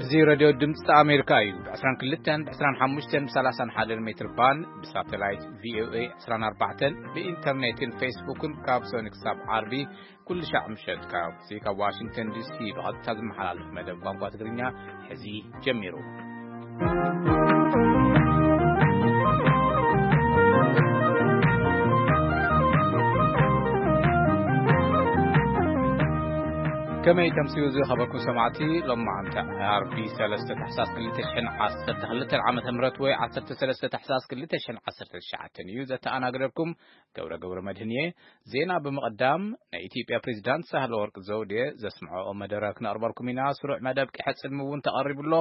እዚ ሬድዮ ድምፂ ኣሜሪካ እዩ። ብ22፣ ብ25፣ ብ31 ሜትር ባንድ፣ ብሳተላይት ቪኦኤ 24፣ ብኢንተርኔትን ፌስቡክን ካብ ሰኒ ክሳብ ዓርቢ ኩሉ ሻዕ ምሸት ካብ፣ ካብ ዋሽንግተን ዲሲ ብቐጥታ ዝመሓላለፍ መደብ ቋንቋ ትግርኛ ሕዚ ጀሚሩ። ከመይ ተምስዩ ዝኸበርኩም ሰማዕቲ፣ ሎማዓንቲ ዓርቢ 3 ታሕሳስ 2012 ዓመተ ምህረት ወይ 13 ታሕሳስ 2019 እዩ። ዘተኣናግደኩም ገብረ ገብረ መድህን እየ። ዜና ብምቕዳም፣ ናይ ኢትዮጵያ ፕሬዚዳንት ሳህለ ወርቅ ዘውዴ ዘስምዐኦ መደረ ክነቕርበልኩም ኢና። ስሩዕ መደብ ቂሐ ጽልሚ እውን ተቐሪቡ ኣሎ።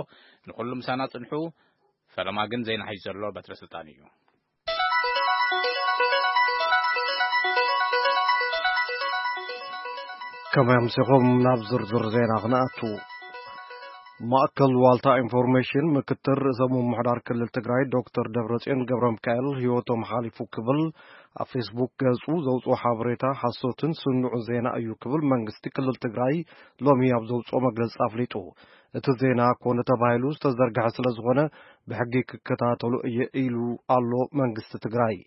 ንኹሉ ምሳና ጽንሑ። ፈለማ ግን ዜና ሒዙ ዘሎ በትረ ስልጣን እዩ። ከመይ ኣምሲኹም? ናብ ዝርዝር ዜና ክንኣቱ። ማእከል ዋልታ ኢንፎርሜሽን ምክትል ርእሰ ምምሕዳር ክልል ትግራይ ዶክተር ደብረጽዮን ገብረ ሚካኤል ህይወቶም ሓሊፉ ክብል ኣብ ፌስቡክ ገጹ ዘውፅኦ ሓበሬታ ሓሶትን ስኑዑ ዜና እዩ ክብል መንግስቲ ክልል ትግራይ ሎሚ ኣብ ዘውፅኦ መግለፂ ኣፍሊጡ። እቲ ዜና ኮነ ተባሂሉ ዝተዘርግሐ ስለ ዝኾነ ብሕጊ ክከታተሎ እየ ኢሉ ኣሎ መንግስቲ ትግራይ።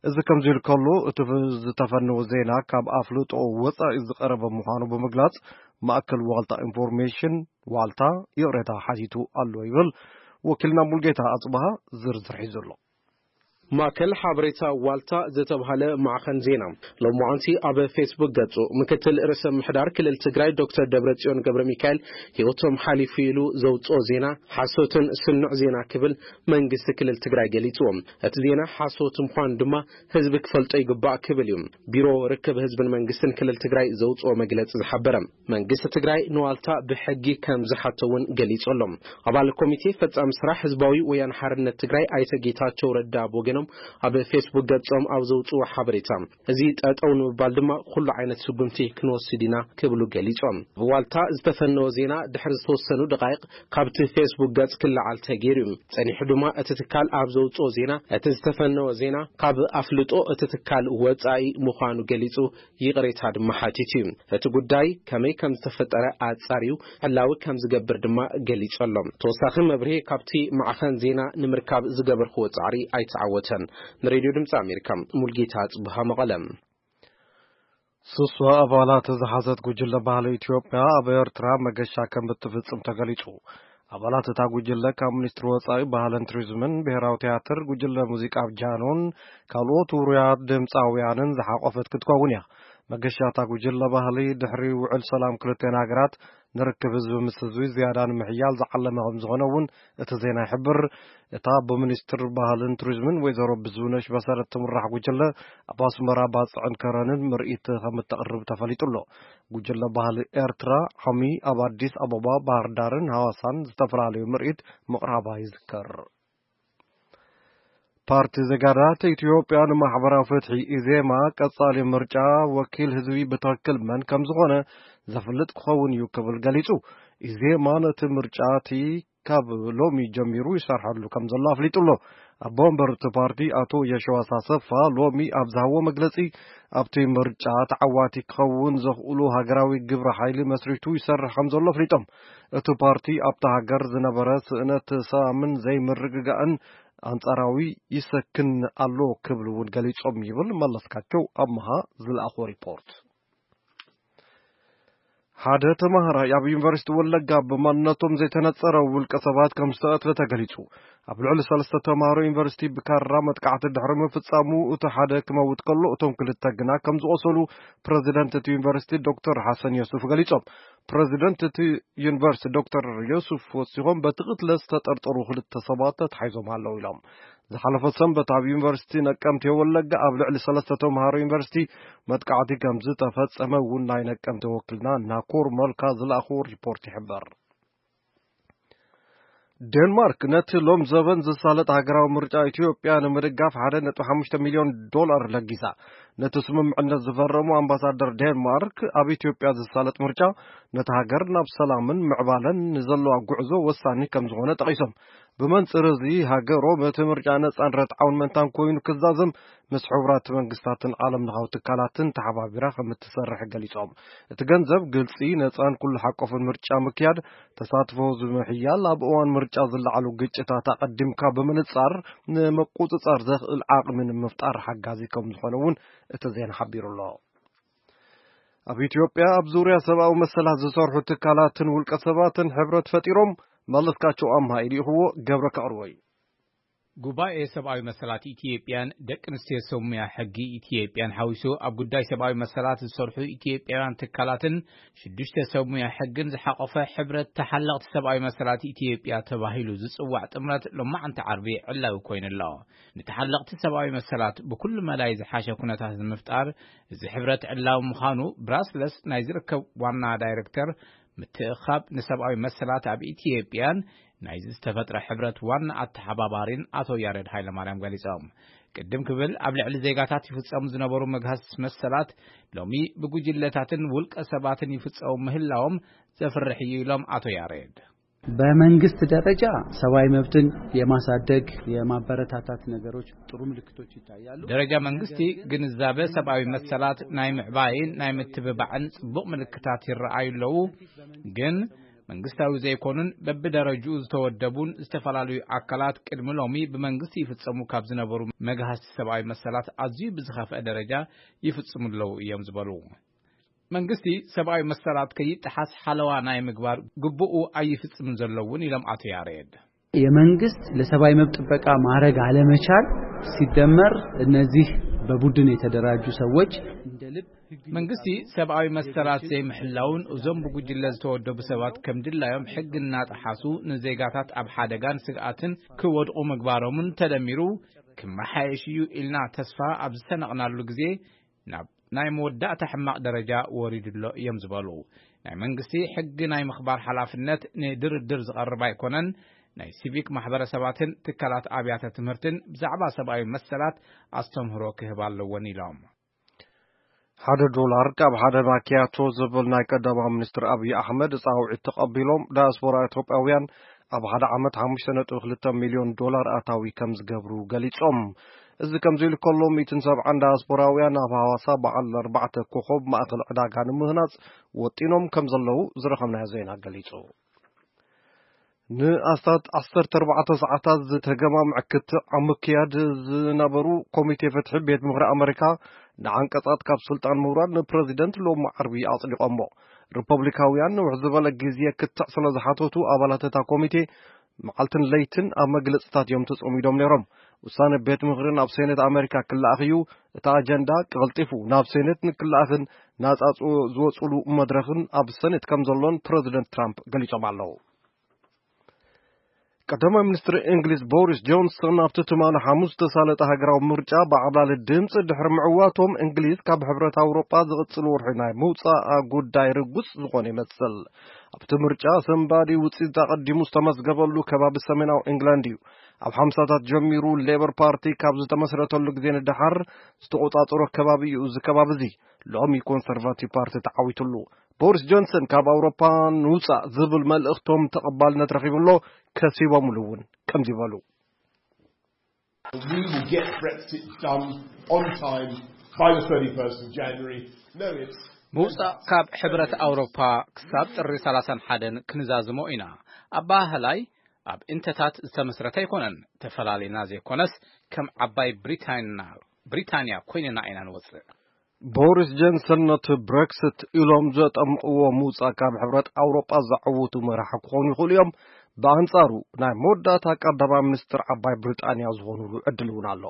እዚ ከምዚ ኢሉ ከሎ፣ እቲ ዝተፈነወ ዜና ካብ ኣፍልጦ ወፃኢ ዝቐረበ ምዃኑ ብምግላፅ፣ ማእከል ዋልታ ኢንፎርሜሽን ዋልታ ይቕሬታ ሓቲቱ ኣሎ ይብል ወኪልና ሙልጌታ ኣጽብሃ። ዝርዝር ሒዙ ኣሎ። ማእከል ሓበሬታ ዋልታ ዝተባህለ ማዕኸን ዜና ሎማዓንቲ ኣብ ፌስቡክ ገጹ፣ ምክትል ርእሰ ምሕዳር ክልል ትግራይ ዶክተር ደብረጽዮን ገብረ ሚካኤል ህይወቶም ሓሊፉ ኢሉ ዘውጽኦ ዜና ሓሶትን ስኑዕ ዜና ክብል መንግስቲ ክልል ትግራይ ገሊጽዎ። እቲ ዜና ሓሶት ምዃኑ ድማ ህዝቢ ክፈልጦ ይግባእ ክብል እዩ ቢሮ ርክብ ህዝብን መንግስትን ክልል ትግራይ ዘውጽኦ መግለጺ ዝሓበረ። መንግስቲ ትግራይ ንዋልታ ብሕጊ ከም ዝሓቶ እውን ገሊጹ ኣሎ። ኣባል ኮሚቴ ፈጻሚ ስራሕ ህዝባዊ ወያነ ሓርነት ትግራይ ኣይተ ጌታቸው ረዳ ብወገኖም ኣብ ፌስቡክ ገጾም ኣብ ዘውጽዎ ሓበሬታ፣ እዚ ጠጠው ንምባል ድማ ኩሉ ዓይነት ስጉምቲ ክንወስድ ኢና ክብሉ ገሊጾም። ብዋልታ ዝተፈነወ ዜና ድሕሪ ዝተወሰኑ ደቃይቕ ካብቲ ፌስቡክ ገጽ ክለዓል ተገይሩ እዩ። ጸኒሑ ድማ እቲ ትካል ኣብ ዘውጽኦ ዜና፣ እቲ ዝተፈነወ ዜና ካብ ኣፍልጦ እቲ ትካል ወጻኢ ምዃኑ ገሊጹ ይቕሬታ ድማ ሓቲቱ እዩ። እቲ ጉዳይ ከመይ ከም ዝተፈጠረ ኣጻርዩ ዕላዊ ከም ዝገብር ድማ ገሊጹ ኣሎ። ተወሳኺ መብርሂ ካብቲ ማዕኸን ዜና ንምርካብ ዝገበርክዎ ጻዕሪ ኣይተዓወተን። ንሬድዮ ድምጺ ኣሜሪካ፣ ሙልጌታ ጽብሃ መቐለ። ስሷ ኣባላት ዝሓዘት ጉጅለ ባህሊ ኢትዮጵያ ኣብ ኤርትራ መገሻ ከም እትፍጽም ተገሊጹ። ኣባላት እታ ጉጅለ ካብ ሚኒስትሪ ወጻኢ ባህልን ቱሪዝምን፣ ብሔራዊ ቲያትር፣ ጉጅለ ሙዚቃ ኣብ ጃኖን ካልኦት ውሩያት ድምፃውያንን ዝሓቆፈት ክትከውን እያ። መገሻ እታ ጉጅለ ባህሊ ድሕሪ ውዕል ሰላም ክልቲኤን ሃገራት ንርክብ ህዝቢ ምስ ህዝቢ ዝያዳ ንምሕያል ዝዓለመ ከም ዝኾነ እውን እቲ ዜና ይሕብር። እታ ብሚኒስትር ባህልን ቱሪዝምን ወይዘሮ ብዙነሽ መሰረት ትምራሕ ጉጅለ ኣብ ኣስመራ ባጽዕን ከረንን ምርኢት ከም እተቕርብ ተፈሊጡ ኣሎ። ጉጅለ ባህሊ ኤርትራ ዓሚ ኣብ ኣዲስ ኣበባ፣ ባህር ዳርን ሃዋሳን ዝተፈላለዩ ምርኢት ምቕራባ ይዝከር። ፓርቲ ዜጋታት ኢትዮጵያ ንማሕበራዊ ፍትሒ ኢዜማ ቀጻሊ ምርጫ ወኪል ህዝቢ ብትኽክል መን ከም ዝኾነ ዘፍልጥ ክኸውን እዩ ክብል ገሊጹ። ኢዜማ ነቲ ምርጫ እቲ ካብ ሎሚ ጀሚሩ ይሰርሐሉ ከም ዘሎ ኣፍሊጡ ኣሎ። ኣቦ ወንበር እቲ ፓርቲ ኣቶ የሸዋስ ኣሰፋ ሎሚ ኣብ ዝሃቦ መግለጺ፣ ኣብቲ ምርጫ ተዓዋቲ ክኸውን ዘኽእሉ ሃገራዊ ግብረ ሓይሊ መስሪቱ ይሰርሕ ከም ዘሎ ኣፍሊጦም። እቲ ፓርቲ ኣብታ ሃገር ዝነበረ ስእነት ሰላምን ዘይምርግጋእን ኣንጻራዊ ይሰክን ኣሎ ክብሉ እውን ገሊጾም ይብል መለስካቸው ኣምሃ ዝለኣኾ ሪፖርት። ሓደ ተማሃራይ ኣብ ዩኒቨርሲቲ ወለጋ ብማንነቶም ዘይተነጸረ ውልቀ ሰባት ከም ዝተቐትለ ተገሊጹ። ኣብ ልዕሊ ሰለስተ ተማሃሮ ዩኒቨርሲቲ ብካራ መጥቃዕቲ ድሕሪ ምፍጻሙ፣ እቲ ሓደ ክመውት ከሎ፣ እቶም ክልተ ግና ከም ዝቖሰሉ ፕረዚደንት እቲ ዩኒቨርሲቲ ዶክተር ሓሰን ዮሱፍ ገሊጾም። ፕረዚደንት እቲ ዩኒቨርሲቲ ዶክተር ዮሱፍ ወሲኾም፣ በቲ ቅትለት ዝተጠርጠሩ ክልተ ሰባት ተታሒዞም ኣለዉ ኢሎም። ዝሓለፈ ሰንበት ኣብ ዩኒቨርሲቲ ነቀምቴ ወለጋ ኣብ ልዕሊ ሰለስተ ተምሃሮ ዩኒቨርሲቲ መጥቃዕቲ ከም ዝተፈጸመ እውን ናይ ነቀምቴ ወኪልና ናኮር መልካ ዝለኣኽዎ ሪፖርት ይሕብር። ዴንማርክ ነቲ ሎም ዘበን ዝሳለጥ ሃገራዊ ምርጫ ኢትዮጵያ ንምድጋፍ ሓደ ነጥቢ ሓሙሽተ ሚልዮን ዶላር ለጊሳ። ነቲ ስምምዕነት ዝፈረሙ ኣምባሳደር ዴንማርክ፣ ኣብ ኢትዮጵያ ዝሳለጥ ምርጫ ነቲ ሃገር ናብ ሰላምን ምዕባለን ንዘለዋ ጉዕዞ ወሳኒ ከም ዝኾነ ጠቒሶም። ብመንጽር እዚ፣ ሃገሮም እቲ ምርጫ ነጻን ርትዓውን ምእንታን ኮይኑ ክዛዘም፣ ምስ ሕቡራት መንግስታትን ዓለም ለኻዊ ትካላትን ተሓባቢራ ከም እትሰርሕ ገሊጾም። እቲ ገንዘብ ግልጺ፣ ነጻን ኩሉ ሓቆፍን ምርጫ ምክያድ፣ ተሳትፎ ህዝቢ ምሕያል፣ ኣብ እዋን ምርጫ ዝለዓሉ ግጭታት ኣቐዲምካ ብምንጻር ንምቁጽጻር ዘኽእል ዓቕሚ ንምፍጣር ሓጋዚ ከም ዝኾነ እውን እቲ ዜና ሓቢሩ ኣሎ። ኣብ ኢትዮጵያ ኣብ ዙርያ ሰብኣዊ መሰላት ዝሰርሑ ትካላትን ውልቀ ሰባትን ሕብረት ፈጢሮም። መለስካቸው ኣምሃ ኢልኢኽዎ፣ ገብረ ከቕርቦ እዩ። ጉባኤ ሰብኣዊ መሰላት ኢትዮጵያን ደቂ ኣንስትዮ ሰብ ሙያ ሕጊ ኢትዮጵያን ሓዊሱ ኣብ ጉዳይ ሰብኣዊ መሰላት ዝሰርሑ ኢትዮጵያውያን ትካላትን ሽዱሽተ ሰብ ሙያ ሕግን ዝሓቆፈ ሕብረት ተሓለቕቲ ሰብኣዊ መሰላት ኢትዮጵያ ተባሂሉ ዝጽዋዕ ጥምረት ሎማዓንቲ ዓርቢ ዕላዊ ኮይኑ ኣሎ። ንተሓለቕቲ ሰብኣዊ መሰላት ብኩሉ መዳይ ዝሓሸ ኩነታት ንምፍጣር እዚ ሕብረት ዕላዊ ምዃኑ ብራስለስ ናይ ዝርከብ ዋና ዳይሬክተር ምትእኻብ ንሰብኣዊ መሰላት ኣብ ኢትዮጵያን ናይዚ ዝተፈጥረ ሕብረት ዋና ኣተሓባባሪን ኣቶ ያሬድ ሃይለማርያም ገሊጾም። ቅድም ክብል ኣብ ልዕሊ ዜጋታት ይፍጸሙ ዝነበሩ መግሃስ መሰላት ሎሚ ብጉጅለታትን ውልቀ ሰባትን ይፍጸሙ ምህላዎም ዘፍርሕ እዩ ኢሎም ኣቶ ያሬድ። በመንግስት ደረጃ ሰብአዊ መብትን የማሳደግ፣ የማበረታታት ነገሮች ጥሩ ምልክቶች ይታያሉ። ደረጃ መንግስቲ ግንዛበ ሰብኣዊ መሰላት ናይ ምዕባይን ናይ ምትብባዕን ጽቡቕ ምልክታት ይረኣዩ ኣለዉ። ግን መንግስታዊ ዘይኮኑን በብደረጅኡ ዝተወደቡን ዝተፈላለዩ ኣካላት ቅድሚ ሎሚ ብመንግስቲ ይፍጸሙ ካብ ዝነበሩ መግሃስቲ ሰብኣዊ መሰላት ኣዝዩ ብዝኸፍአ ደረጃ ይፍጽሙ ኣለዉ እዮም ዝበሉ። መንግስቲ ሰብኣዊ መሰላት ከይጠሓስ ሓለዋ ናይ ምግባር ግቡኡ ኣይፍጽምን ዘሎ እውን ኢሎም ኣቶ ያሬድ። የመንግስት ለሰብአዊ መብት ጥበቃ ማድረግ አለመቻል ሲደመር እነዚህ በቡድን የተደራጁ ሰዎች እንደ ልብ መንግስቲ ሰብኣዊ መሰላት ዘይምሕላውን እዞም ብጉጅለ ዝተወደቡ ሰባት ከም ድላዮም ሕጊ እናጠሓሱ ንዜጋታት ኣብ ሓደጋን ስግኣትን ክወድቑ ምግባሮምን ተደሚሩ ክመሓየሽ እዩ ኢልና ተስፋ ኣብ ዝሰነቕናሉ ግዜ ናብ ናይ መወዳእታ ሕማቕ ደረጃ ወሪዱ ኣሎ እዮም ዝበሉ። ናይ መንግስቲ ሕጊ ናይ ምኽባር ሓላፍነት ንድርድር ዝቐርብ ኣይኮነን። ናይ ሲቪክ ማሕበረሰባትን ትካላት ኣብያተ ትምህርትን ብዛዕባ ሰብኣዊ መሰላት ኣስተምህሮ ክህብ ኣለዎን ኢሎም። ሓደ ዶላር ካብ ሓደ ማኪያቶ ዝብል ናይ ቀዳማዊ ሚኒስትር ኣብይ ኣሕመድ ፃውዒት ተቐቢሎም ዳያስፖራ ኢትዮጵያውያን ኣብ ሓደ ዓመት ሓሙሽተ ነጥቢ ክልተ ሚልዮን ዶላር ኣታዊ ከም ዝገብሩ ገሊጾም። እዚ ከምዚ ኢሉ ከሎ፣ ሚእትን ሰብዓን ዳያስፖራውያን ኣብ ሃዋሳ በዓል ኣርባዕተ ኮኾብ ማእከል ዕዳጋ ንምህናጽ ወጢኖም ከም ዘለዉ ዝረኸብናዮ ዜና ገሊጹ። ንኣስታት ዓሰርተ ኣርባዕተ ሰዓታት ዝተገማምዐ ክትዕ ኣብ ምክያድ ዝነበሩ ኮሚቴ ፍትሒ ቤት ምኽሪ ኣመሪካ ንዓንቀጻት ካብ ስልጣን ምውራድ ንፕረዚደንት ሎሚ ዓርቢ ኣጽዲቖሞ። ሪፐብሊካውያን ንውሕ ዝበለ ግዜ ክትዕ ስለ ዝሓተቱ ኣባላት እታ ኮሚቴ መዓልትን ለይትን ኣብ መግለጽታት እዮም ተጸሚዶም ነይሮም። ውሳነ ቤት ምኽሪ ናብ ሴኔት ኣመሪካ ክለኣኽ እዩ። እቲ ኣጀንዳ ቀልጢፉ ናብ ሴኔት ንክለኣኽን ናጻ ዝወ-፣ ዝወጽሉ መድረኽን ኣብ ሴኔት ከም ዘሎን ፕረዚደንት ትራምፕ ገሊጾም ኣለዉ። ቀዳማይ ሚኒስትር እንግሊዝ ቦሪስ ጆንሰን ኣብቲ ትማሊ ሓሙስ ዝተሳለጠ ሃገራዊ ምርጫ ብዓብላሊ ድምፂ ድሕሪ ምዕዋቶም እንግሊዝ ካብ ሕብረት ኣውሮጳ ዝቕፅል ወርሒ ናይ ምውፃኣ ጉዳይ ርጉፅ ዝኾነ ይመስል። ኣብቲ ምርጫ ሰንባዲ ውፅኢት ኣቐዲሙ ዝተመዝገበሉ ከባቢ ሰሜናዊ እንግላንድ እዩ። ኣብ ሓምሳታት ጀሚሩ ሌበር ፓርቲ ካብ ዝተመስረተሉ ግዜ ንደሓር ዝተቆፃፀሮ ከባቢ እዩ። እዚ ከባቢ እዚ ሎሚ ኮንሰርቫቲቭ ፓርቲ ተዓዊትሉ። ቦሪስ ጆንሰን ካብ ኣውሮፓ ንውጻእ ዝብል መልእኽቶም ተቐባልነት ረኺቡ ኣሎ። ከሲቦምሉ እውን ከምዚ በሉ። We will get Brexit done on time by the thirty-first of January. No, it's ምውጻእ ካብ ሕብረት ኣውሮፓ ክሳብ ጥሪ ሰላሳን ሓደን ክንዛዝሞ ኢና። ኣባህላይ ኣብ እንተታት ዝተመስረተ ኣይኮነን። ተፈላሊና ዘይኮነስ ከም ዓባይ ብሪታንያ፣ ብሪታንያ ኮይንና ኢና ንወጽእ። ቦሪስ ጆንሰን ነቲ ብሬክሲት ኢሎም ዘጠምቕዎ ምውጻእ ካብ ሕብረት ኣውሮጳ ዘዕውቱ መራሒ ክኾኑ ይኽእሉ እዮም። ብኣንጻሩ ናይ መወዳእታ ቀዳማይ ሚኒስትር ዓባይ ብሪጣንያ ዝኾኑሉ ዕድል እውን ኣሎ።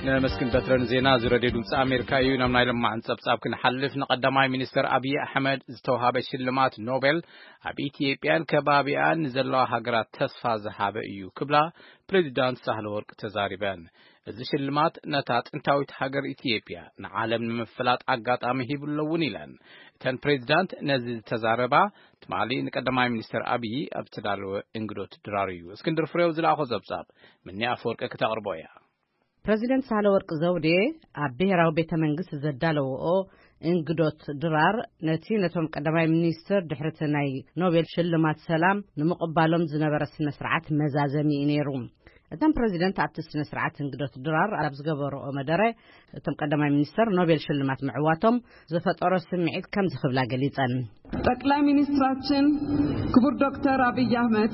ነመስግን በትረን ዜና እዚ ሬድዮ ድምፂ ኣሜሪካ እዩ። ናብ ናይ ለማዕን ጸብጻብ ክንሓልፍ፣ ንቀዳማይ ሚኒስትር ኣብይ ኣሕመድ ዝተውሃበ ሽልማት ኖቤል ኣብ ኢትዮጵያን ከባቢኣን ንዘለዋ ሃገራት ተስፋ ዝሃበ እዩ ክብላ ፕሬዚዳንት ሳህለ ወርቅ ተዛሪበን። እዚ ሽልማት ነታ ጥንታዊት ሃገር ኢትዮጵያ ንዓለም ንምፍላጥ ኣጋጣሚ ሂቡ ኣሎ እውን ኢለን። እተን ፕሬዚዳንት ነዚ ዝተዛረባ ትማሊ ንቀዳማይ ሚኒስትር ኣብይ ኣብ ዝተዳለወ እንግዶት ድራር እዩ። እስክንድር ፍሬው ዝለኣኾ ጸብጻብ ምኒ ኣፈወርቂ ክተቕርቦ እያ። ፕረዚደንት ሳህለወርቅ ዘውዴ ኣብ ብሔራዊ ቤተ መንግስት ዘዳለወኦ እንግዶት ድራር ነቲ ነቶም ቀዳማይ ሚኒስትር ድሕርቲ ናይ ኖቤል ሽልማት ሰላም ንምቕባሎም ዝነበረ ስነ ስርዓት መዛዘሚ እዩ ነይሩ። እቶም ፕረዚደንት ኣብቲ ስነ ስርዓት እንግዶት ድራር ኣብ ዝገበረኦ መደረ፣ እቶም ቀዳማይ ሚኒስትር ኖቤል ሽልማት ምዕዋቶም ዝፈጠሮ ስምዒት ከምዚ ክብላ ገሊጸን። ጠቅላይ ሚኒስትራችን ክቡር ዶክተር አብይ አህመድ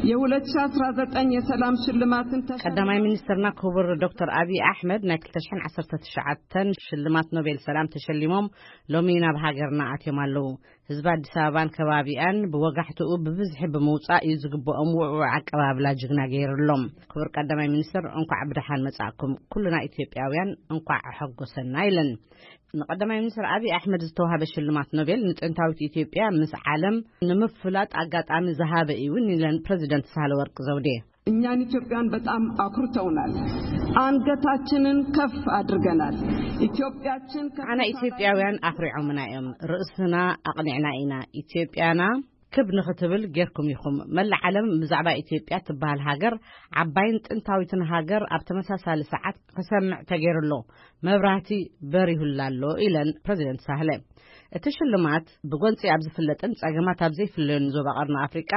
የ2019 የሰላም ሽልማትን ተሸ- ቀዳማይ ሚኒስትርና ክቡር ዶክተር አብይ ኣሕመድ ናይ ክልተ ሽሕን ዓሰርተ ትሽዓተን ሽልማት ኖቤል ሰላም ተሸሊሞም ሎሚ ናብ ሃገርና ኣትዮም ኣለዉ። ህዝቢ ኣዲስ ኣበባን ከባቢኣን ብወጋሕትኡ ብብዝሒ ብምውጻእ እዩ ዝግብኦም ውዕውዕ ኣቀባብላ ጅግና ገይሩሎም። ክቡር ቀዳማይ ሚኒስትር፣ እንኳዕ ብደሓን መጻእኩም። ኩልና ኢትዮጵያውያን እንኳዕ ኣሐጎሰና ኢለን። ንቀዳማይ ሚኒስትር ኣብይ ኣሕመድ ዝተዋሃበ ሽልማት ኖቤል ንጥንታዊት ኢትዮጵያ ምስ ዓለም ንምፍላጥ ኣጋጣሚ ዝሃበ እዩ እውን ኢለን ፕረዚደንት ሳህለወርቅ ዘውዴ። እኛን ኢትዮጵያን በጣም አኩርተውናል። አንገታችንን ከፍ አድርገናል። ኢትዮጵያችን ከፍ አና ኢትዮጵያውያን ኣኹሪዖምና እዮም። ርእስና ኣቕኒዕና ኢና። ኢትዮጵያና ክብ ንኽትብል ጌርኩም ኢኹም። መላእ ዓለም ብዛዕባ ኢትዮጵያ ትበሃል ሃገር፣ ዓባይን ጥንታዊትን ሃገር ኣብ ተመሳሳሊ ሰዓት ክሰምዕ ተገይሩ ኣሎ። መብራህቲ በሪሁላ ኣሎ ኢለን ፕረዚደንት ሳህለ። እቲ ሽልማት ብጎንፂ ኣብ ዝፍለጥን ጸገማት ኣብ ዘይፍለዮን ዞባ ቀርኒ ኣፍሪቃ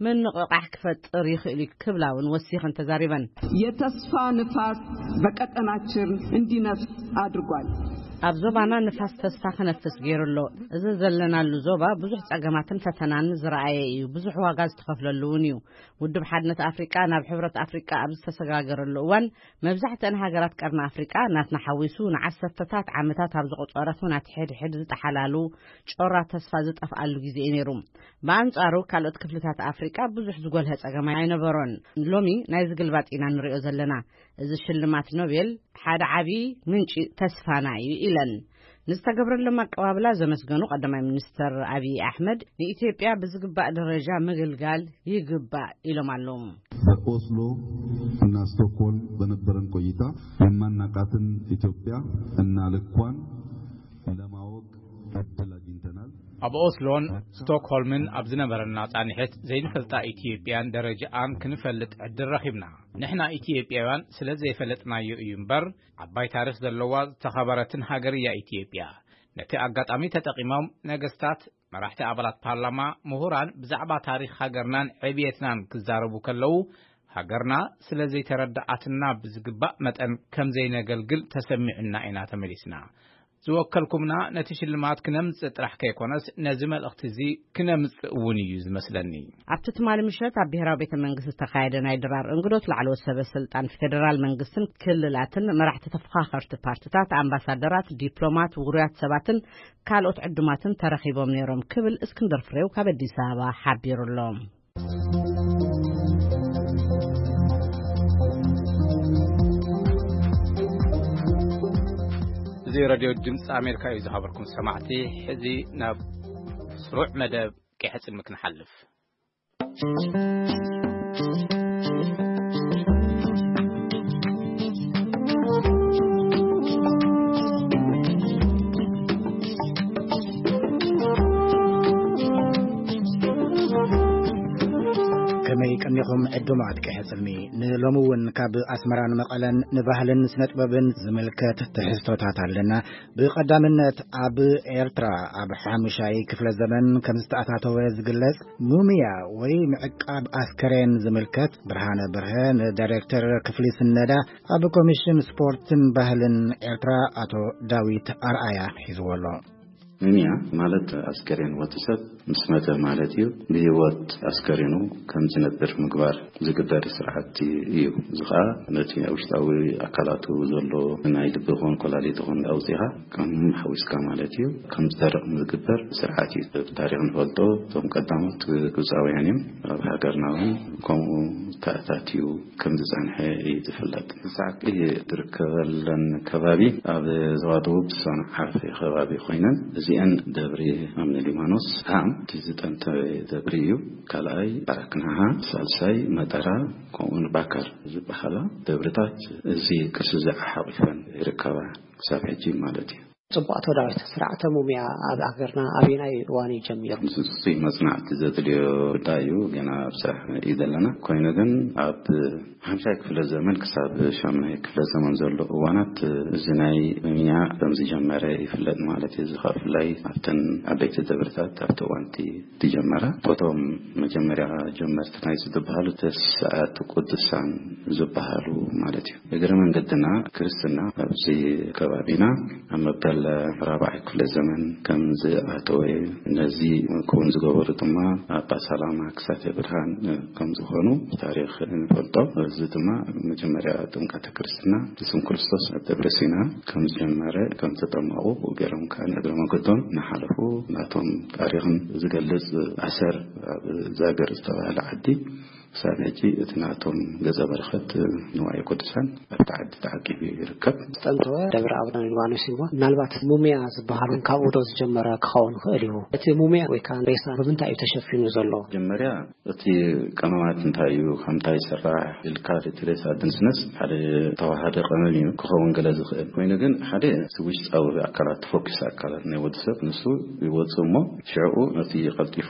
ምንቕቓሕ ክፈጥር ይኽእል እዩ ክብላ እውን ወሲኸን ተዛሪበን። የተስፋ ንፋስ በቀጠናችን እንዲነፍስ አድርጓል። ኣብ ዞባና ንፋስ ተስፋ ክነፍስ ገይሩ ኣሎ። እዚ ዘለናሉ ዞባ ብዙሕ ጸገማትን ፈተናን ዝረኣየ እዩ። ብዙሕ ዋጋ ዝተኸፍለሉ እውን እዩ። ውድብ ሓድነት ኣፍሪቃ ናብ ሕብረት ኣፍሪቃ ኣብ ዝተሰጋገረሉ እዋን፣ መብዛሕትአን ሃገራት ቀርኒ ኣፍሪቃ ናትና ሓዊሱ ንዓሰርተታት ዓመታት ኣብ ዘቑጸረ ኲናት ሕድሕድ ዝጠሓላሉ ጮራ ተስፋ ዝጠፍኣሉ ግዜ እዩ ነይሩ። ብኣንጻሩ፣ ካልኦት ክፍልታት ኣፍሪቃ ብዙሕ ዝጎልሀ ጸገም ኣይነበሮን። ሎሚ ናይዚ ግልባጥ ኢና ንሪኦ ዘለና። እዚ ሽልማት ኖቤል ሓደ ዓቢ ምንጪ ተስፋና እዩ ኢለን። ንዝተገብረሎም ኣቀባብላ ዘመስገኑ ቀዳማይ ሚኒስትር ኣብይ ኣሕመድ፣ ንኢትዮጵያ ብዝግባእ ደረጃ ምግልጋል ይግባእ ኢሎም ኣለዉ። በኦስሎ እና ስቶክሆልም በነበረን ቆይታ የማናቃትን ኢትዮጵያ እና ልኳን ለማወቅ እድል አግኝተናል። ኣብ ኦስሎን ስቶክሆልምን ኣብ ዝነበረና ጻንሒት ዘይንፈልጣ ኢትዮጵያን ደረጃኣን ክንፈልጥ ዕድል ረኺብና። ንሕና ኢትዮጵያውያን ስለ ዘይፈለጥናዮ እዩ እምበር፣ ዓባይ ታሪኽ ዘለዋ ዝተኸበረትን ሃገር እያ ኢትዮጵያ። ነቲ ኣጋጣሚ ተጠቒሞም ነገስታት፣ መራሕቲ ኣባላት ፓርላማ፣ ምሁራን ብዛዕባ ታሪኽ ሃገርናን ዕብየትናን ክዛረቡ ከለዉ፣ ሃገርና ስለ ዘይተረድኣትና ብዝግባእ መጠን ከም ዘይነገልግል ተሰሚዑና ኢና ተመሊስና። ዝወከልኩምና ነቲ ሽልማት ክነምጽእ ጥራሕ ከይኮነስ፣ ነዚ መልእኽቲ እዚ ክነምጽእ እውን እዩ ዝመስለኒ። ኣብቲ ትማሊ ምሸት ኣብ ብሔራዊ ቤተ መንግስቲ ዝተኻየደ ናይ ድራር እንግዶት፣ ላዕለዎት ሰበ ስልጣን ፌደራል መንግስትን ክልላትን፣ መራሕቲ ተፎኻኸርቲ ፓርትታት፣ ኣምባሳደራት፣ ዲፕሎማት፣ ውሩያት ሰባትን ካልኦት ዕዱማትን ተረኺቦም ነይሮም ክብል እስክንድር ፍሬው ካብ ኣዲስ ኣበባ ሓቢሩ ኣሎ። እዚ ሬድዮ ድምፂ ኣሜሪካ እዩ። ዝኸበርኩም ሰማዕቲ፣ ሕዚ ናብ ስሩዕ መደብ ቀይሕ ጽልሚ ክንሓልፍ። ከመይ ቀኒኹም ዕዱማት ቀይሕ ጽልሚ? ንሎሚ እውን ካብ ኣስመራን መቐለን ንባህልን ስነ ጥበብን ዝምልከት ትሕዝቶታት ኣለና። ብቐዳምነት፣ ኣብ ኤርትራ ኣብ ሓሙሻይ ክፍለ ዘመን ከም ዝተኣታተወ ዝግለጽ ሙምያ ወይ ምዕቃብ ኣስከሬን ዝምልከት፣ ብርሃነ በርሀ ንዳይሬክተር ክፍሊ ስነዳ ኣብ ኮሚሽን ስፖርትን ባህልን ኤርትራ ኣቶ ዳዊት ኣርኣያ ሒዝዎ ኣሎ። ሙምያ ማለት ኣስከሬን ወዲ ሰብ ምስ መተ ማለት እዩ። ብህይወት ኣስከሬኑ ከም ዝነብር ምግባር ዝግበር ስርዓት እዩ። እዚ ኸኣ ነቲ ውሽጣዊ ኣካላቱ ዘሎ ናይ ልቢ ኾን ኮላሊት ኾን ኣውጺኻ ከም ሓዊስካ ማለት እዩ። ከም ዝደርቕ ዝግበር ስርዓት እዩ። ብታሪኽ ንፈልጦ፣ እቶም ቀዳሞት ግብጻውያን እዮም። ኣብ ሃገርና እውን ከምኡ ተኣታትዩ ከም ዝጸንሐ እዩ ዝፍለጥ። ሳቂ ዝርከበለን ከባቢ ኣብ ዞባ ደቡብ ሰንዓፈ ከባቢ ኮይነን፣ እዚአን ደብሪ ኣምነ ሊባኖስ፣ ሃም፣ እቲ ዝጠንተ ደብሪ እዩ። ካልኣይ ኣራክናሃ፣ ሳልሳይ መጠራ፣ ከምኡውን ባካር ዝበሃላ ደብርታት እዚ ቅርሲ እዚ ሓቂፈን ይርከባ ክሳብ ሕጂ ማለት እዩ። ጽቡቅ። ኣቶ ዳዊት፣ ስርዓተ ሙምያ ኣብ ሃገርና ኣበየናይ እዋን እዩ ጀሚሩ? ንሱ ጽጹይ መጽናዕቲ ዘድልዮ ጉዳይ እዩ። ገና ኣብ ስራሕ እዩ ዘለና። ኮይኑ ግን ኣብ ሓምሻይ ክፍለ ዘመን ክሳብ ሻምናይ ክፍለ ዘመን ዘሎ እዋናት እዚ ናይ ሙምያ ከም ዝጀመረ ይፍለጥ ማለት እዩ። እዚ ከዓ ብፍላይ ኣብተን ዓበይቲ ደብርታት ኣብቲ እዋንቲ ዝጀመረ፣ እቶም መጀመርያ ጀመርቲ ናይ ዝበሃሉ ተስዓቱ ቅዱሳን ዝበሃሉ ማለት እዩ። እግረ መንገድና ክርስትና ኣብዚ ከባቢና ኣብ መበል ራብዓይ ክፍለ ዘመን ከም ዝኣተወ፣ ነዚ ክውን ዝገበሩ ድማ ኣባ ሰላማ ክሳቴ ብርሃን ከም ዝኾኑ ታሪኽ ንፈልጦ። እዚ ድማ መጀመርያ ጥምቀተ ክርስትና ብስም ክርስቶስ ኣብ ደብረ ሲና ከም ዝጀመረ፣ ከም ተጠመቑ ገይሮም ከኣ ንእግረ መንገዶም እናሓለፉ ናቶም ታሪኽን ዝገልጽ ኣሰር ኣብ ዛገር ዝተባህለ ዓዲ ክሳብ ሕጂ እቲ ናቶም ገጸ በረኸት ንዋየ ቅዱሳን ኣብቲ ዓዲ ተዓቂቡ ይርከብ። ዝጠንተወ ደብረ ኣቡነ ሊባኖስ እዩ። ምናልባት ሙምያ ዝበሃሉ ካብኡ ዶ ዝጀመረ ክኸውን ይኽእል እዩ? እቲ ሙምያ ወይ ከዓ ሬሳ ብምንታይ እዩ ተሸፊኑ ዘሎ? መጀመርያ እቲ ቀመማት እንታይ እዩ፣ ካብ እንታይ ይስራሕ ኢልካ እቲ ሬሳ ድንስነስ ሓደ ተዋሃደ ቀመም እዩ ክኸውን ገለ ዝኽእል። ኮይኑ ግን ሓደ እቲ ውሽጣዊ ኣካላት፣ ተፈኲስ ኣካላት ናይ ወዲ ሰብ ንሱ ይወጽእ እሞ ሽዕኡ ነቲ ቀልጢፉ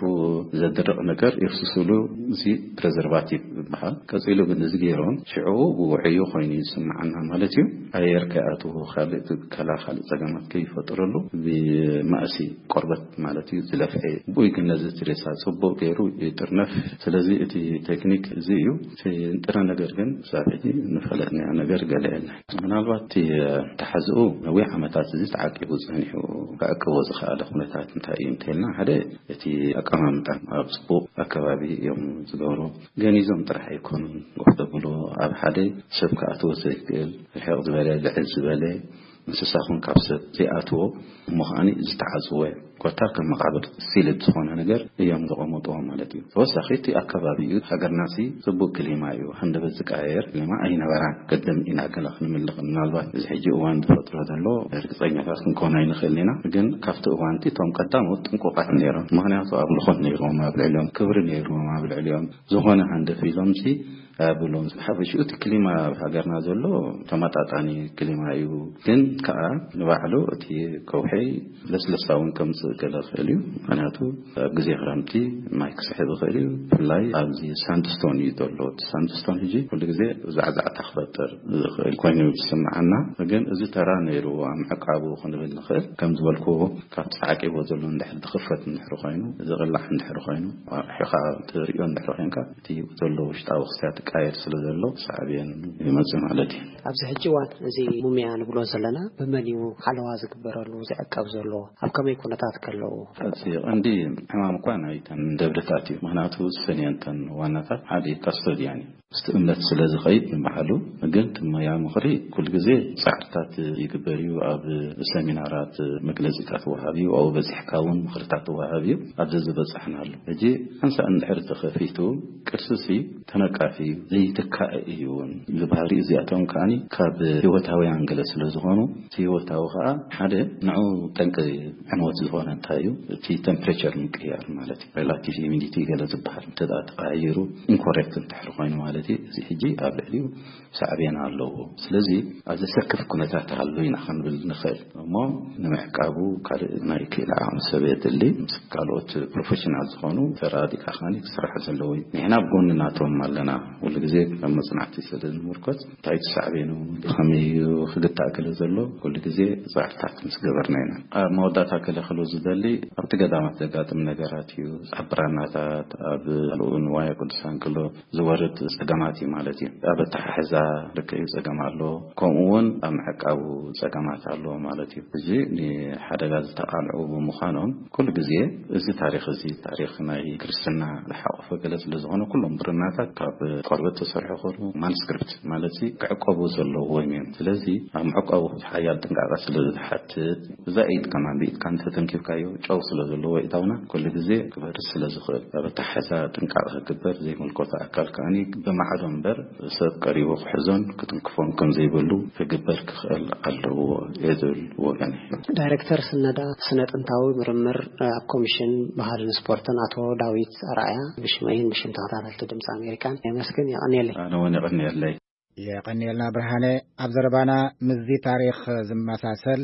ዘድርቕ ነገር የፍስስሉ፣ እዚ ፕሬዘርቫቲቭ ይበሃል። ቀጺሉ ግን እዚ ገይሮም ሽዕኡ ብውዕዩ ኮይኑ ይስምዓና ማለት እዩ። ኣየር ከይኣትዎ፣ ካልእ እቲ ከላ ካልእ ጸገማት ከይፈጥረሉ ብማእሲ ቆርበት ማለት እዩ ዝለፍዐ። ብኡይ ግን ነዚ እቲ ሬሳ ጽቡቕ ገይሩ ይጥርነፍ። ስለዚ እቲ ቴክኒክ እዚ እዩ። እቲ ንጥረ ነገር ግን ክሳብ ሕጂ ንፈለጥናዮ ነገር ገለ የለን። ምናልባት እቲ ተሓዝኡ ነዊሕ ዓመታት እዚ ተዓቂቡ ጸኒሑ ክዕቅቦ ዝኸኣለ ኩነታት እንታይ እዩ እንተልና፣ ሓደ እቲ ኣቀማምጣ ኣብ ጽቡቕ ኣከባቢ እዮም ዝገብሩ። ገኒዞም ጥራሕ ኣይኮኑን፣ ወፍ ተብሎ ኣብ ሓደ ሰብ ክኣትዎ ዘይክእል ርሕቕ ዝበለ ልዕል ዝበለ እንስሳ ኹን ካብ ሰብ ዘይኣትዎ እሞ ከዓኒ ዝተዓጽወ ኮታ ከም መቓብር ሲልድ ዝኾነ ነገር እዮም ዘቐመጥዎ ማለት እዩ። ተወሳኺ እቲ ኣከባቢ እዩ። ሃገርናሲ ጽቡቕ ክሊማ እዩ። ሃንደበት ዝቀያየር ክሊማ ኣይነበራን። ቅድም ኢና ገለ ክንምልኽ ምናልባት እዚ ሕጂ እዋን ዝፈጥሮ ዘሎ ርግጸኛታት ክንከውን ኣይንኽእልን ኢና። ግን ካብቲ እዋንቲ እቶም ቀዳሞት ጥንቁቓት ነይሮም። ምኽንያቱ ኣምልኾት ነይሮም ኣብ ልዕሊኦም፣ ክብሪ ነይሮም ኣብ ልዕሊኦም። ዝኾነ ሃንደፍ ኢሎምሲ ኣያብሎም። ዝሓፈሽኡ እቲ ክሊማ ኣብ ሃገርና ዘሎ ተመጣጣኒ ክሊማ እዩ። ግን ከኣ ንባዕሉ እቲ ከውሒ ለስለሳ እውን ከምጽእ ገለ ክእል እዩ። ምኽንያቱ ኣብ ግዜ ክረምቲ ማይ ክስሕብ ይኽእል እዩ። ብፍላይ ኣብዚ ሳንድስቶን እዩ ዘሎ። እቲ ሳንድስቶን ሕጂ ኩሉ ግዜ ዛዕዛዕታ ክፈጥር ዝኽእል ኮይኑ ዝስምዓና። ግን እዚ ተራ ነይሩ ኣብ ምዕቃቡ ክንብል ንኽእል። ከም ዝበልኩዎ ካብቲ ተዓቂቦ ዘሎ እንድሕር ዝኽፈት እንድሕር ኮይኑ፣ ዝቕላዕ እንድሕር ኮይኑ፣ ኣርሒኻ ትርእዮ እንድሕር ኮይንካ እቲ ዘሎ ውሽጣዊ ክስተት ይቃየር ስለ ዘሎ ሳዕቤን ይመጽእ ማለት እዩ። ኣብዚ ሕጂ እዋን እዚ ሙምያ ንብሎ ዘለና ብመን እዩ ሓለዋ ዝግበረሉ ዝዕቀብ ዘሎ? ኣብ ከመይ ኩነታት ከለዉ? እቲ ቀንዲ ሕማም እኳ ናይተን ደብርታት እዩ። ምኽንያቱ እሰን እየን እተን ዋናታት። ሓደ እዩ ካስቶዲያን እዩ። ምስቲ እምነት ስለ ዝኸይድ ንባዕሉ፣ ግን እቲ ሞያ ምኽሪ ኩሉ ግዜ ጻዕርታት ይግበር እዩ። ኣብ ሰሚናራት መግለጺታት ወሃብ እዩ። ኣብኡ በጺሕካ እውን ምኽርታት ወሃብ እዩ። ኣብዚ ዝበጻሕናሉ ሕጂ ሓንሳእ እንድሕር ተኸፊቱ ቅርስሲ ተነቃፊ ዘይትካእ እዩ እውን። እዚ ባህሪ እዚኣቶም ከዓኒ ካብ ህይወታውያን ገለ ስለ ዝኾኑ፣ እቲ ህይወታዊ ከኣ ሓደ ንዑ ጠንቂ ዕንወት ዝኾነ እንታይ እዩ? እቲ ቴምፕሬቸር ምቅያር ማለት እዩ። ሬላቲቭ ሂሚዲቲ ገለ ዝበሃል እንተ ደኣ ተቐያይሩ ኢንኮሬክት እንድሕር ኮይኑ ማለት እዩ። እዚ ሕጂ ኣብ ልዕሊኡ ሳዕቤን ኣለዎ። ስለዚ ኣብ ዘሰክፍ ኩነታት ኣሎ ኢና ክንብል ንኽእል። እሞ ንምዕቃቡ ካልእ ናይ ክኢላ ዓቕሚ ሰብ የድሊ። ምስ ካልኦት ፕሮፌሽናል ዝኾኑ ተራዲእካ ከዓኒ ክስራሕ ዘለዎ እዩ። ንሕና ኣብ ጎኒ ናቶም ኣለና። ኩሉ ግዜ ከም መጽናዕቲ ስለ ንምርኮስ እንታይ ትሳዕቤኑ፣ ብኸመይ እዩ ክግታእ ገለ ዘሎ፣ ኩሉ ግዜ ጻዕርታት ምስ ገበርና ኢና። ኣብ መወዳእታ ገለ ክሉ ዝደሊ ኣብቲ ገዳማት ዘጋጥም ነገራት እዩ። ኣብ ብራናታት፣ ኣብ ካልኡ ንዋየ ቅዱሳን ክሎ ዝወርድ ጸገማት እዩ ማለት እዩ። ኣብ ኣተሓሕዛ ልክዕ እዩ ጸገም ኣሎ፣ ከምኡ እውን ኣብ ምዕቃቡ ጸገማት ኣሎ ማለት እዩ። እዚ ንሓደጋ ዝተቓልዑ ብምዃኖም ኩሉ ግዜ እዚ ታሪኽ እዚ ታሪኽ ናይ ክርስትና ዝሓቆፈ ገለ ስለ ዝኾነ ኩሎም ብርናታት ካብ ቆርበት ተሰርሑ ኮኑ ማንስክሪፕት ማለት እዚ ክዕቀቡ ዘለዎም እዮም። ስለዚ ኣብ ምዕቃቡ ሓያል ጥንቃቐ ስለ ዝሓትት እዛ ኢድ ከማን ብኢድካ እንተተንኪፍካዮ ጨው ስለ ዘለዎ ኢታውና ኩሉ ግዜ ክበርስ ስለ ዝኽእል ኣብ ኣተሓሕዛ ጥንቃቐ ክግበር ዘይምልከቶ ኣካል ከዓኒ ብማዕዶ እምበር ሰብ ቀሪቡ ክሕዞን ክትንክፎን ከም ዘይብሉ ክግበር ክኽእል ኣለዎ እየ ዝብል ወገን እዩ። ዳይሬክተር ስነዳ ስነ ጥንታዊ ምርምር ኣብ ኮሚሽን ባህልን ስፖርትን ኣቶ ዳዊት ኣርኣያ ብሽመይን ብሽም ተኸታተልቲ ድምፂ ኣሜሪካን የመስግን። የቐንየለይ። ኣነ እውን የቐንየለይ። የቐንየልና ብርሃነ። ኣብ ዘረባና ምስዚ ታሪኽ ዝመሳሰል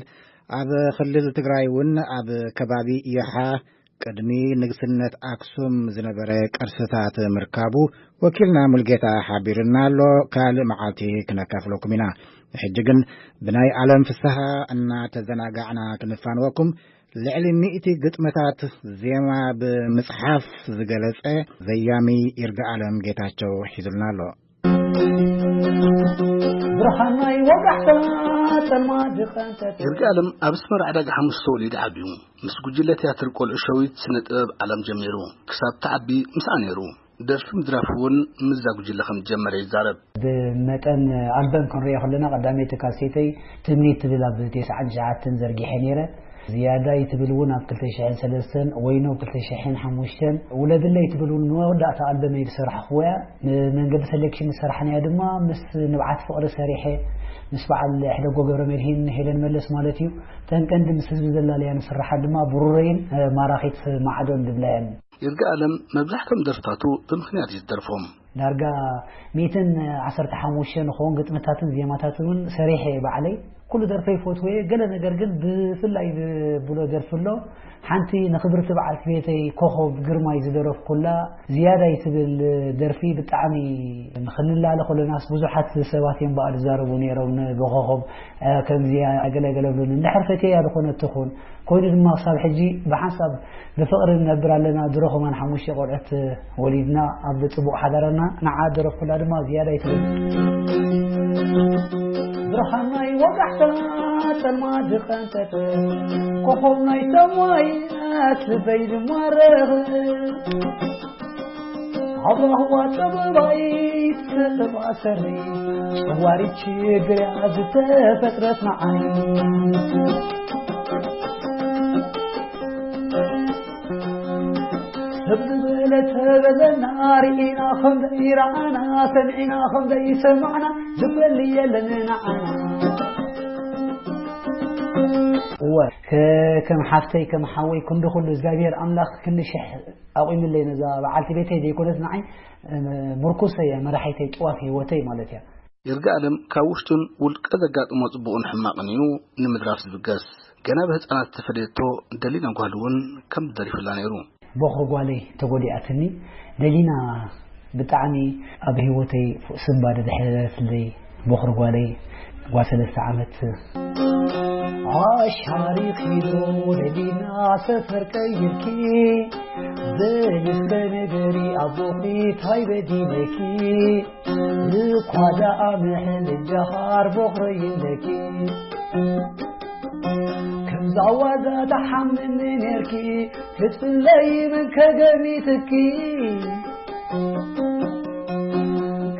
ኣብ ክልል ትግራይ እውን ኣብ ከባቢ ይሓ ቅድሚ ንግስነት ኣክሱም ዝነበረ ቅርስታት ምርካቡ ወኪልና ሙልጌታ ሓቢርና ኣሎ። ካልእ መዓልቲ ክነካፍለኩም ኢና። ሕጂ ግን ብናይ ዓለም ፍስሃ እናተዘናጋዕና ክንፋንወኩም፣ ልዕሊ ሚእቲ ግጥምታት ዜማ ብምጽሓፍ ዝገለጸ ዘያሚ ይርጋ ዓለም ጌታቸው ሒዙልና ኣሎ። ብርሃናይ ወጋሕታ ጸልማ ዝቐንጠት። ይርጋ ዓለም ኣብ ኣስመራ ዕዳጋ ሓሙስ ተወሊዱ ዓብዩ። ምስ ጉጅለ ትያትር ቆልዑ ሸዊት ስነ ጥበብ ዓለም ጀሚሩ ክሳብ ተዓቢ ምስኣ ነይሩ። ደርፊ ምድራፍ እውን ምስዛ ጉጅለ ከም ዝጀመረ ይዛረብ። ብመጠን ኣልበም ክንሪኦ ከለና፣ ቀዳመይቲ ካሴተይ ትምኒት ትብል ኣብ ተስዓን ትሽዓተን ዘርጊሐ ነይረ። ዝያዳይ ትብል እውን ኣብ ክልተ ሽሕን ሰለስተን፣ ወይኖ ኣብ ክልተ ሽሕን ሓሙሽተን፣ ውለድለይ ትብል እውን ንመወዳእታ ኣልበመይ ዝሰራሕኩዎ እያ። ንመንገዲ ሴሌክሽን ዝሰራሕናዮ ድማ ምስ ንብዓት ፍቕሪ ሰሪሐ፣ ምስ በዓል ሕደጎ ገብረ መድሂን፣ ሄለን መለስ ማለት እዩ። እተን ቀንዲ ምስ ህዝቢ ዘላለያ ንስራሓ ድማ ብሩረይን፣ እ፣ ማራኺት ማዕዶን ዝብላ እየን። ይርጋ ኣለም መብዛሕቶም ደርፍታቱ ብምኽንያት እዩ ዝደርፎም። ዳርጋ ሚእትን ዓሰርተ ሓሙሽተ ንኸውን ግጥምታትን ዜማታትን እውን ሰሪሐ እየ ባዕለይ። ኩሉ ደርፈይ ይፈትዎ እየ። ገለ ነገር ግን ብፍላይ ዝብሎ ደርፊ ኣሎ። ሓንቲ ንክብርቲ በዓልቲ ቤተይ ኮኾብ ግርማይ ዝደረፍኩላ ዝያዳይ ትብል ደርፊ ብጣዕሚ፣ ንክንላለ ከለናስ ብዙሓት ሰባት እዮም በኣል ዝዛረቡ ነይሮም፣ ብኮኾብ፣ እ፣ ከምዚኣ ገለ ገለ ብሉኒ። እንድሕር ፈትየያ ዝኾነት ትኹን። ኮይኑ ድማ ክሳብ ሕጂ ብሓንሳብ ብፍቕሪ ንነብር ኣለና። ድሮ ከማን ሓሙሽተ ቆልዑት ወሊድና ኣብ ጽቡቕ ሓዳርና። ንዓ ደረፍኩላ ድማ ዝያዳ ይትብል። ብርሃን ናይ ወጋሕታ ጸልማ ዝቐንጠጠ፣ ኮኾብ ናይ ሰማይ ኣትበይ ዝማረኽ፣ ኣብ ራህዋ ጥበባይ ትስዕባ ሰሪ፣ ጸዋሪት ችግርያ ዝተፈጥረት ንዓይ። ሰብ ዝበለ ተበለና፣ ርኢና ከም ዘይረኣና፣ ሰሚዕና ከም ዘይሰማዕና፣ ዝበል የለን ንዓና። እወ፣ ከ-፣ ከም ሓፍተይ፣ ከም ሓወይ፣ ክንዲ ኩሉ እግዚኣብሔር ኣምላኽ ክንዲ ሽሕ ኣቑምለይ ነዛ በዓልቲ ቤተይ ዘይኮነት ንዓይ፣ እ፣ ምርኩሰይ እያ፣ መራሒተይ፣ ጥዋፍ ህይወተይ ማለት እያ። ይርጋ ኣለም ካብ ውሽጡን ውልቀ ዘጋጥሞ ጽቡቕን ሕማቕን እዩ ንምድራፍ ዝብገስ። ገና ብህጻናት ዝተፈለየቶ ደሊና ጓል እውን ከም ዝደሪፍላ ነይሩ። ቦኽሪ ጓለይ ተጎዲኣትኒ። ደሊና ብጣዕሚ ኣብ ህይወተይ ስንባ ደድሕረትለይ። ቦኽሪ ጓለይ ጓል ሰለስተ ዓመት። ኣሻሪኺ ዶ ደሊና ሰፈር ቀይርኪ፣ በሊ እስከ ንገሪ ኣቦኺ ታይ በዲለኪ? እኳ ደኣ ምሕል ጃሃር ቦኽረይ ኣለኪ። ከምዛ ዋዛ ተሓምኒ ኔርኪ፣ ክትፍለይ መን ከገሚትኪ?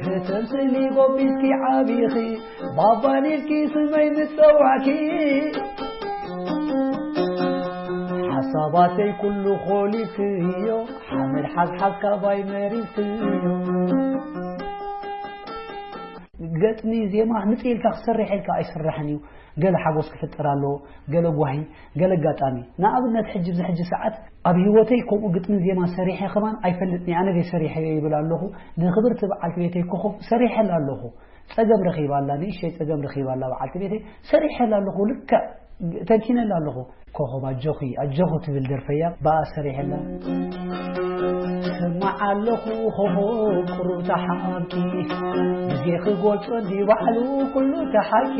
ከተምስሊ ጎቢትኪ ዓቢኺ፣ ባባ ኔርኪ ስመይ ምስ ጸዋዕኪ። ሓሳባተይ ኩሉ ኾሊፍክዮ፣ ሓመድ ሓዝሓዝ ካባይ መሪርክዮ። ገጥሚ ዜማ ምጽእ ኢልካ ክሰርሕ ኢልካ ኣይስራሕን እዩ። ገለ ሓጎስ ክፍጠር ኣለዎ፣ ገለ ጓሂ፣ ገለ ኣጋጣሚ። ንኣብነት ሕጂ፣ ኣብዚ ሕጂ ሰዓት ኣብ ህይወተይ ከምኡ ግጥምን ዜማን ሰሪሐ ከማን ኣይፈልጥን እየ። ኣነ ደይ ሰሪሐዮ ይብል ኣለኹ። ንክብርቲ በዓልቲ ቤተይ ኮኾብ ሰሪሐላ ኣለኹ። ጸገም ረኺባ ኣላ፣ ንእሽተይ ጸገም ረኺባ ኣላ በዓልቲ ቤተይ። ሰሪሐላ ኣለኹ፣ ልክዕ ተንቲነላ ኣለኹ። ኮኾብ ኣጆኺ፣ ኣጆኹ ትብል ደርፈያ፣ ብኣ ሰሪሐላ። ስማዕ ኣለኹ ኮኾብ ቁሩብ ተሓምኪ፣ ግዜ ክገልጾ እንዲ ባዕሉ ኩሉ ተሓኪ።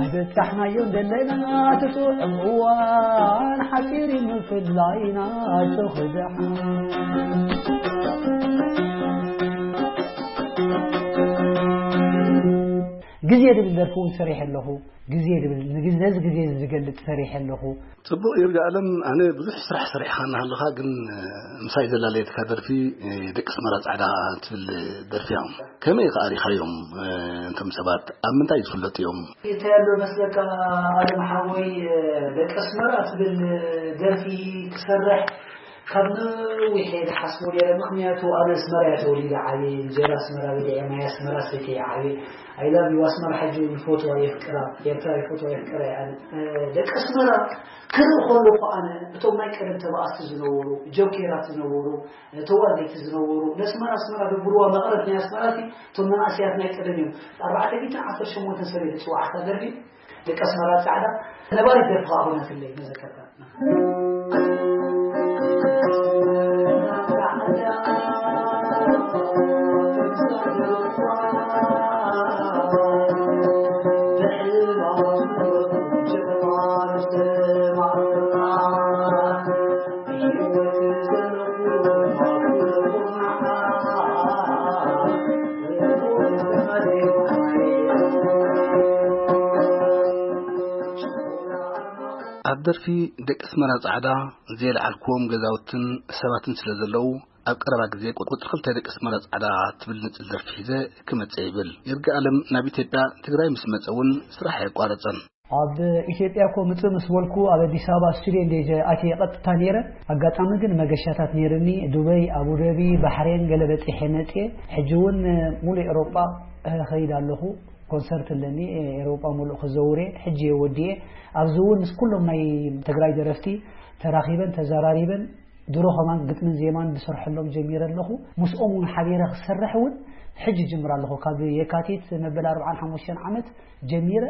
ኣይበጻሕናዮን ዘለና እቲ ጥዑም እዋን፣ ሓጺር እዩ ምፍላይና፣ ኣጆኺ ደሓን። ግዜ ዝብል ደርፊ እውን ሰሪሐ ኣለኹ። ግዜ ዝብል፣ ንግዜ፣ ነዚ ግዜ እዚ ዝገልጽ ሰሪሐ ኣለኹ። ጽቡቕ ይርጋ ኣለም፣ ኣነ ብዙሕ ስራሕ ሰሪሕካ እናሃለኻ ግን፣ እ፣ ምሳይ ዘላለየትካ ደርፊ፣ እ፣ ደቂ ኣስመራ ጻዕዳ ትብል ደርፊ እያ። ከመይ ከኣ ሪኻዮም፣ እ፣ እንቶም ሰባት ኣብ ምንታይ ዝፍለጡ እዮም? እንታይ ኣሎ መስለካ ኣለም ሓወይ፣ እ፣ ደቂ ኣስመራ ትብል ደርፊ ክሰርሕ ካብ ነዊሕ እየ ዝሓስቦ ነይረ። ምኽንያቱ ኣነ ኣስመራ እየ ተወሊደ ዓብየ፣ እንጀራ ኣስመራ በሊዐ፣ ማይ ኣስመራ ሰትየ እየ ዓብየ። I love you ኣስመራ፣ ሕጂ እውን ይፈትዋ የፍቅራ፣ ኤርትራ ይፈትዋ የፍቅራ እየ ኣነ። እ፣ ደቂ ኣስመራ ክርኢ ከለኹ ኣነ እቶም ናይ ቀደም ተባኣስቲ ዝነበሩ፣ ጆኬራት ዝነበሩ፣ እ፣ ተዋዘይቲ ዝነበሩ፣ ነስመራ ኣስመራ ዶ ብርዋ መቐረት ናይ ኣስመራ እቲ እቶም መናእሰያት ናይ ቀደም እዮም። ኣርባዕተ ሚእትን ዓሰርተ ሸሞንተን ሰብ እየ ዝጽዋዕ፣ ኣታ ደርቢ ደቂ ኣስመራ ጻዕዳ ነባሪት ደርፊ ኸኣ ኾነትለይ መዘከርታ። ኣብ ደርፊ ደቂ ኣስመራ ጻዕዳ፣ ዘየልዓልክዎም ገዛውትን ሰባትን ስለ ዘለዉ፣ ኣብ ቀረባ ግዜ ቁጽሪ ክልተ ደቂ ኣስመራ ጻዕዳ ትብል ንጽል ደርፊ ሒዘ ክመጽእ ይብል። ይርጋኣለም ናብ ኢትዮጵያ ትግራይ ምስ መጸ እውን ስራሕ ኣየቋረጸን። ኣብ ኢትዮጵያ እኮ ምጽእ ምስ በልኩ፣ ኣብ ኣዲስ ኣበባ ስቱድዮ እንደ ኣትየ ቀጥታ ነይረ። ኣጋጣሚ ግን መገሻታት ነይርኒ፣ ዱበይ፣ ኣቡደቢ፣ ባሕሬን ገለ በጺሐ መጽየ። ሕጂ እውን ሙሉእ ኤውሮጳ እኸይድ ኣለኹ። ኮንሰርት ኣለኒ፣ ኤውሮጳ ሙሉእ ክዘውር እየ። ሕጂ እየ ወዲኤ። ኣብዚ እውን ምስ ኩሎም ናይ ትግራይ ደረፍቲ ተራኺበን ተዘራሪበን ድሮ ከማን ግጥምን ዜማን ዝሰርሐሎም ጀሚረ ኣለኹ። ምስኦም እውን ሓቢረ ክሰርሕ እውን ሕጂ ጅምር ኣለኹ። ካብ የካቲት መበል ኣርብዓን ሓሙሽተን ዓመት ጀሚረ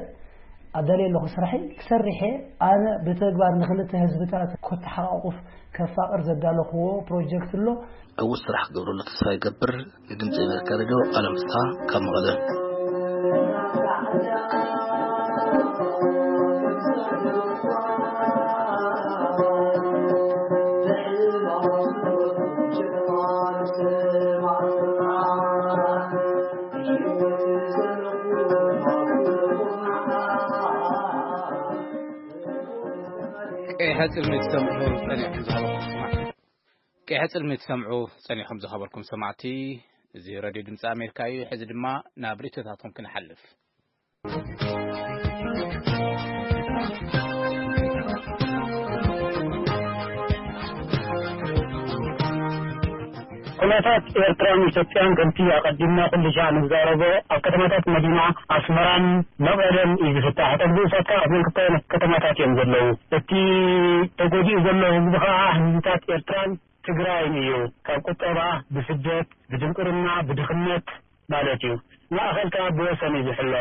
ኣዳልየ ኣለኹ ስራሐይ። ክሰርሕ እየ። ኣነ ብተግባር ንክልተ ህዝብታት ከተሓቃቁፍ ከፋቅር ዘዳለኽዎ ፕሮጀክት ኣሎ። ዕዉት ስራሕ ክገብረሉ ተስፋ ይገብር። ንድምፂ ኣሜሪካ ሬድዮ ኣለም ፍስሓ ካብ መቐለ። ቀይሐ ጽልሚ ትሰምዑ ጸኒሕኩም ዝሃበኩም ስማዕ። ቀይሐ ጽልሚ ትሰምዑ ጸኒሕኩም ዝሃበኩም ሰማዕቲ፣ እዚ ሬድዮ ድምፂ ኣሜሪካ እዩ። ሕዚ ድማ ናብ ርእይቶታትኩም ክንሓልፍ። ኩነታት ኤርትራን ኢትዮጵያን ከምቲ ኣቐዲምና ኩሉ ሻዕ ንዛረቦ ኣብ ከተማታት መዲና ኣስመራን መቐለን እዩ ዝፍታሕ። እቶም ብኡሳት ከኣ ኣብ መንክልተ ከተማታት እዮም ዘለዉ። እቲ ተጎዲኡ ዘሎ ህዝቢ ከኣ ህዝብታት ኤርትራን ትግራይን እዩ። ካብ ቁጠባ፣ ብስደት፣ ብድንቁርና፣ ብድኽነት ማለት እዩ። ማእኸል ከኣ ብወሰን እዩ ዝሕሎ።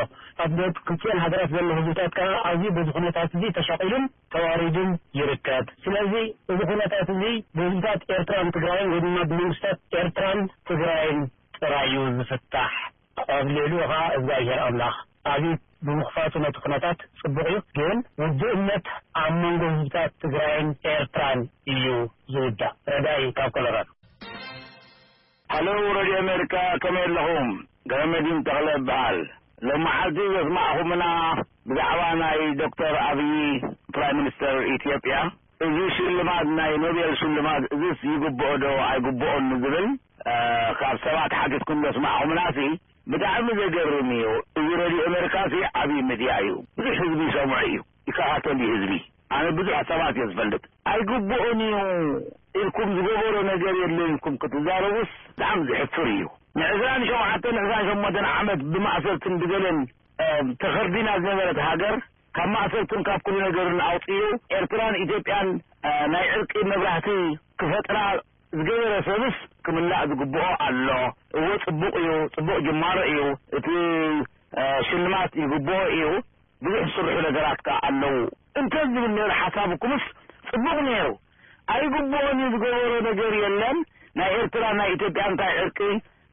ኣብ ደቡብ ክልቲኤን ሃገራት ዘሎ ህዝብታት ከኣ ኣዝዩ በዚ ኩነታት እዚ ተሻቒሉን ተዋሪዱን ይርከብ። ስለዚ እዚ ኩነታት እዚ ብህዝብታት ኤርትራን ትግራይን ወይ ድማ ብመንግስታት ኤርትራን ትግራይን ጥራይ እዩ ዝፍታሕ። ኣብ ልዕሊኡ ኸዓ እግዚኣብሔር ኣምላኽ ኣብዩ ብምኽፋቱ ነቲ ኩነታት ጽቡቕ እዩ። ግን ውድእነት ኣብ መንጎ ህዝብታት ትግራይን ኤርትራን እዩ ዝውዳእ። ረዳኢ ካብ ኮሎራዶ። ሃሎ ሬድዮ ኣሜሪካ፣ ከመይ ኣለኹም? ገረመዲን ተኽለ እበሃል። ሎመዓልቲ ዘስማዕኹምና ብዛዕባ ናይ ዶክተር ኣብዪ ፕራይም ሚኒስተር ኢትዮጵያ፣ እዚ ሽልማት ናይ ኖቤል ሽልማት እዚስ ይግብኦ ዶ ኣይግብኦን ዝብል፣ እ፣ ካብ ሰባት ሓቲትኩም ዘስማዕኹምናሲ ብጣዕሚ ዘገርም እዩ። እዚ ሬድዮ ኣሜሪካሲ ዓብዪ ሚድያ እዩ። ብዙሕ ህዝቢ ይሰምዖ እዩ፣ ይከታተል እዩ ህዝቢ። ኣነ ብዙሕ ሰባት እየ ዝፈልጥ። ኣይግብኦን እዩ ኢልኩም ዝገበሮ ነገር የለን ኢልኩም ክትዛረቡስ ብጣዕሚ ዘሕፍር እዩ። ንዕስራን ሸውዓተን ዕስራን ሸሞንተን ዓመት ብማእሰርትን ብገለን፣ እ፣ ተኸርዲና ዝነበረት ሃገር ካብ ማእሰርትን ካብ ኩሉ ነገርን ኣውፅኡ ኤርትራን ኢትዮጵያን፣ እ፣ ናይ ዕርቂ መብራህቲ ክፈጥራ ዝገበረ ሰብስ ክምላእ ዝግብኦ ኣሎ። እወ ጽቡቕ እዩ፣ ጽቡቕ ጅማሮ እዩ። እቲ፣ እ፣ ሽልማት ይግብኦ እዩ። ብዙሕ ዝስርሑ ነገራት ከኣ ኣለዉ። እንተ ዝብል ነይሩ ሓሳብኩምስ ጽቡቕ ነይሩ። ኣይግብኦን እዩ ዝገበሮ ነገር የለን። ናይ ኤርትራ ናይ ኢትዮጵያ እንታይ ዕርቂ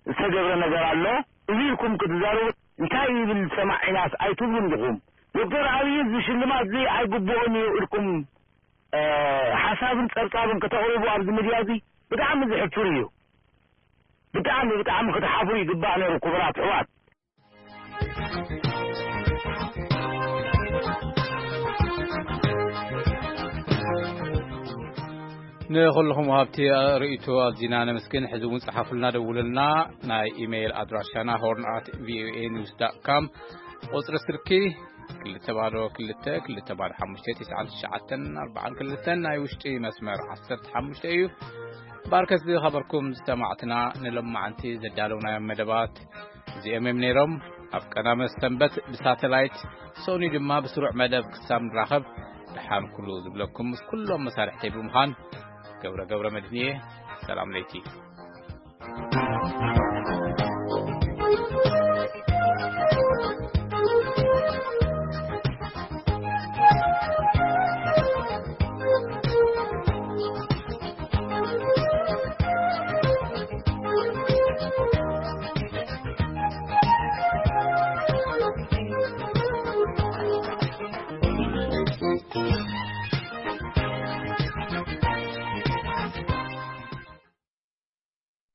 ዝተገብረ ነገር ኣሎ? እዚ ኢልኩም ክትዛረቡ እንታይ ይብል ሰማዒናስ ኣይትብሉን ዲኹም? ዶክተር ኣብይ እዚ ሽልማት እዚ ኣይግብኦን እዩ ኢልኩም፣ እ፣ ሓሳብን ጸብጻብን ከተቕርቡ ኣብዚ ሚድያ እዚ ብጣዕሚ ዘሕፍር እዩ። ብጣዕሚ፣ ብጣዕሚ ክትሓፍሩ ይግባእ ነይሩ ክቡራት ኣሕዋት። ንኹልኹም ወሃብቲ ርእይቶ ኣዚና ነመስግን። ሕዚ እውን ጸሓፉልና፣ ደውሉልና። ናይ ኢሜይል ኣድራሻና ሆርን ኣት ቪኦኤ ኒውስ ዳት ካም፣ ቁጽሪ ስልኪ ክልተ ባዶ ክልተ ክልተ ባዶ ሓሙሽተ ትሽዓን ትሽዓተን ኣርባዓን ክልተን፣ ናይ ውሽጢ መስመር ዓሰርተ ሓሙሽተ እዩ። ባርከት ዝኸበርኩም ሰማዕትና፣ ንሎማዓንቲ ዘዳለውናዮም መደባት እዚኦም እዮም ነይሮም። ኣብ ቀዳመ ሰንበት ብሳተላይት፣ ሰኑይ ድማ ብስሩዕ መደብ ክሳብ ንራኸብ፣ ደሓን ኩሉ ዝብለኩም ምስ ኩሎም መሳርሕተይ ብምዃን፣ ገብረ ገብረ መድህን እየ። ሰላም ለይቲ።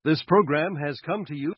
This program has come to you